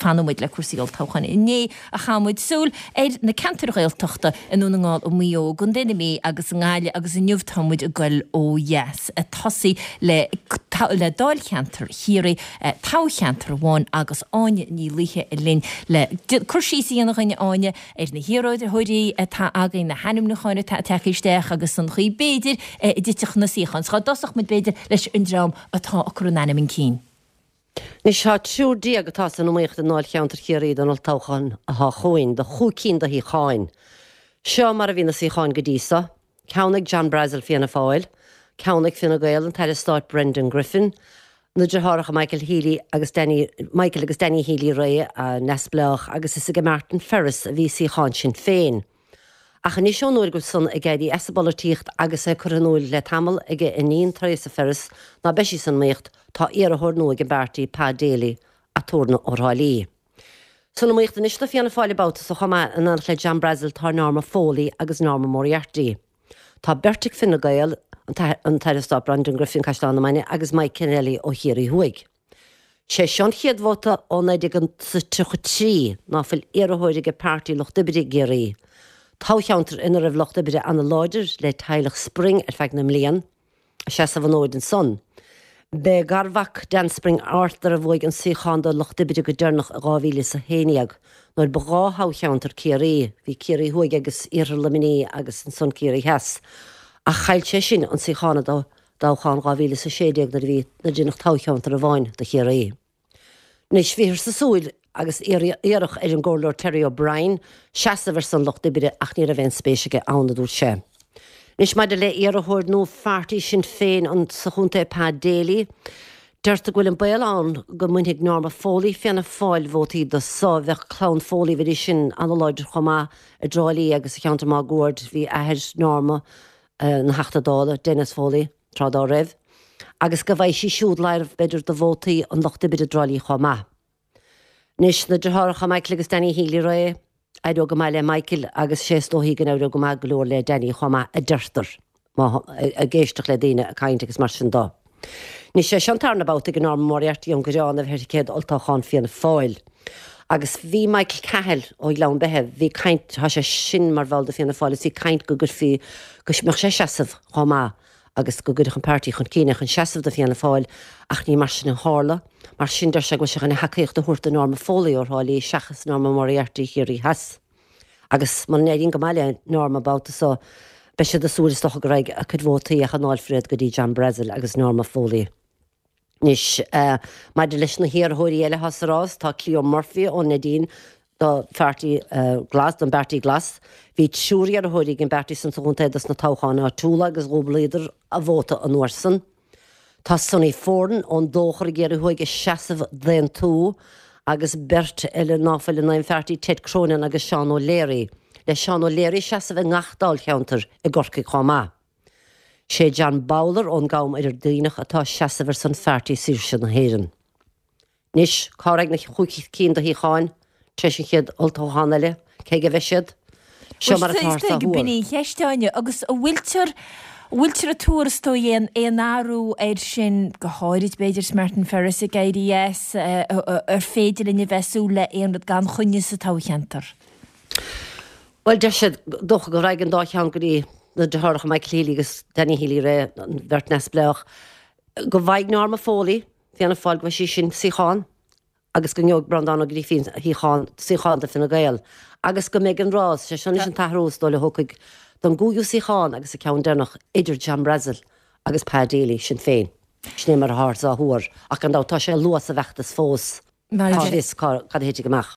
fanfaidh muid le cúrsaí olltoghcháin. Inné a chaith muid súil ar na ceantair Ghaeltachta i nDún na nGall, i Maigh Eo, i gContae na Mí agus i nGaillimh agus inniu tá muid ag goil ó dheas, ag tosaí le le Dáilcheantar Chiarraí, toghcheantar amháin agus Áine Ní Laoithe linn le cur síos a dhéanamh dhuinn, Áine, ar na hiarrthóirí atá againn, na hainmniúcháin atá tagtha isteach agus an chaoi b'fhéidir a dtitfeadh na suíocháin. So dá dtosódh muid b'fhéidir leis an dream atá ag cur a n-ainm chun cinn. Anois tá 13 atá san iomaíocht i nDáilcheantar Chiarraí don olltoghchán atá chugainn, do chúig cinn de shuíocháin. Seo mar a bhí na suíocháin go dtí so, ceann ag John Brassil, Fianna Fáil, ceann ag Fine Gael, an tAire Stáit Brendan Griffin, na deartháireacha Michael Healy agus Danny, Michael agus Danny Healy-Rae, neamhspleách, agus is aige Martin Ferris a bhí suíochán Sinn Féin. Ach anois ón uair go bhfuil san ag éirí as an bpolaitíocht agus é curtha in iúil le tamall ag a iníon Toireasa Ferris ná beidh sí san iomaíocht, tá iarrthóir nua ag an bpáirtí, Pa Daly, aturnae ó Thrá Lí. San iomaíocht anois do Fianna Fáil an babhta so chomh maith in éineacht le John Brassil tá Norma Foley agus Norma Moriarty. Tá beirt ag Fine Gael, an tAire Stáit Brendan Griffin, Caisleán na Mainge agus Mike Kennelly ó Chiarraí Thuaidh. Sé seo an chéad vóta ó 1933 ná fuil iarrthóir ag Páirtí Lucht Oibre i gCiarraí, toghcheantar ina raibh Lucht Oibre ana-láidir le teaghlach Spring ar feadh na mblian, ag seasamh an fhóid ansan. B'é garmhac Dan Spring, Arthur, a bhuaigh an suíochán do Lucht Oibre go deireanach i 2011, nuair ba dhá thoghcheantar Ciarraí, bhí Ciarraí Thuaidh agus Iarthar Luimnigh agus ansan Ciarraí Theas, ach chaill sé sin an suíochán i dtoghchán 2016 nuair a bhí nuair a deineadh toghcheantar amháin do Chiarraí. Anois, bhíothar ag súil agus iarradh ar an gComhairleoir Terry O'Brien seasamh ar son Lucht Oibre ach ní raibh aon spéis aige ann, a dúirt sé. Anois, maidir le iarrthóir nua pháirtí Sinn Féin sa chontae Pa Daly, deirtear go bhfuil an baol ann go mbainfidh Norma Foley Fianna Fáil vótaí dó so. Bheadh clann Foley, bheidís sin an-láidir chomh maith i dTrá Lí agus sa cheantar máguaird. Bhí athair Norma ina Theachta Dála, Denis Foley, tráth dá raibh, agus go bhfaighidh sí siúd láimh, b'fhéidir, de vótaí an Lucht Oibre i dTrá Lí chomh maith. Anois, na deartháireacha Michael agus Danny Healy-Rae, éireoidh go maith le Michael agus sé is dóichí go n-éireoidh go maith go leor le Danny chomh maith, a deirtear, má, ag éisteacht le daoine ag caint agus mar sin dó. Anois, sé seo an tarna babhta ag Norma Moriarty ón gCoireán a bheith ar thicéad olltoghcháin Fianna Fáil. Agus bhí Michael Cahill ó Ghleann Beithe, bhí caint, tá sé sin mar bhall de Fianna Fáil agus bhí caint go gcuirfí, go mbeadh sé ag seasamh chomh maith agus go gcuirfeadh an páirtí chun cinn é chun seasamh do Fianna Fáil ach ní mar sin a tharla. Mar sin deir sé go bhfuil sé chun a thacaíocht a thabhairt do Norma Foley ó Thrá Lí seachas Norma Moriarty Chiarraí Theas. Agus muna n-éiríonn go maith le Norma an babhta so, beidh siad ag súil is dócha go raghaidh a cuid vótaí ach a ndáilfear iad go dtí John Brassil agus Norma Foley. Anois, maidir leis na hiarrthóirí eile atá sa rás, tá Cleo Murphy ón Neidín do Pháirtí Glas, don bPáirtí Glas. Bhí triúr iarrthóirí ag an bpáirtí san sa chontae dos na toghcháin áitiúla agus dhúblaíodar a vóta an uair san. Tá Sonny Foran ón Dóchar i gCiarraí Thuaidh ag seasamh d'Aontú agus beirt eile ná fuil in aon pháirtí, Ted Cronin agus Seán O'Leary, le Seán O'Leary ag seasamh i ngach dáilcheantar i gCorcaigh chomh maith. Sé John Bowler ón gCam Oirghireach atá ag seasamh ar son Pháirtí Saoirse na hÉireann. Anois, cá raghaidh na chúig cinn de shuíocháin tar éis an chéad olltoghchán eile? Cé aige a bheidh siad? Seo mar atá sa thuar. B'in í an cheist, Áine. Agus an bhfuiltear, an bhfuiltear ag tuar is dóigh aon, aon athrú air sin, go háirid b'fhéidir is Martin Ferris ag éirí as, ar féidir linn a bheith ag súil le aon rud gan choinne sa toghcheantar? Bhuel, deir siad, dócha go raghaidh an dá cheann go dtí na deartháireacha Michael Healy agus Danny Healy-Rae, an bheirt neamhspleách, go bhfaighidh Norma Foley, Fianna Fáil go bhfaighidh sí sin suíochán agus go ngeobhaidh Breandán Ó Grífín shuíochán, suíochán do Fine Gael agus go mbeidh an rás, sé seo anois an t-athrú is dóigh a thiocfaidh don gcúigiú suíochán agus an ceann deireanach idir John Brassil agus Pa Daly, Sinn Féin. Sin é mar atáthar á thuar ach gan dabht tá sé luath sa bhfeachtas fós, cá bhfios cad a thitfidh amach.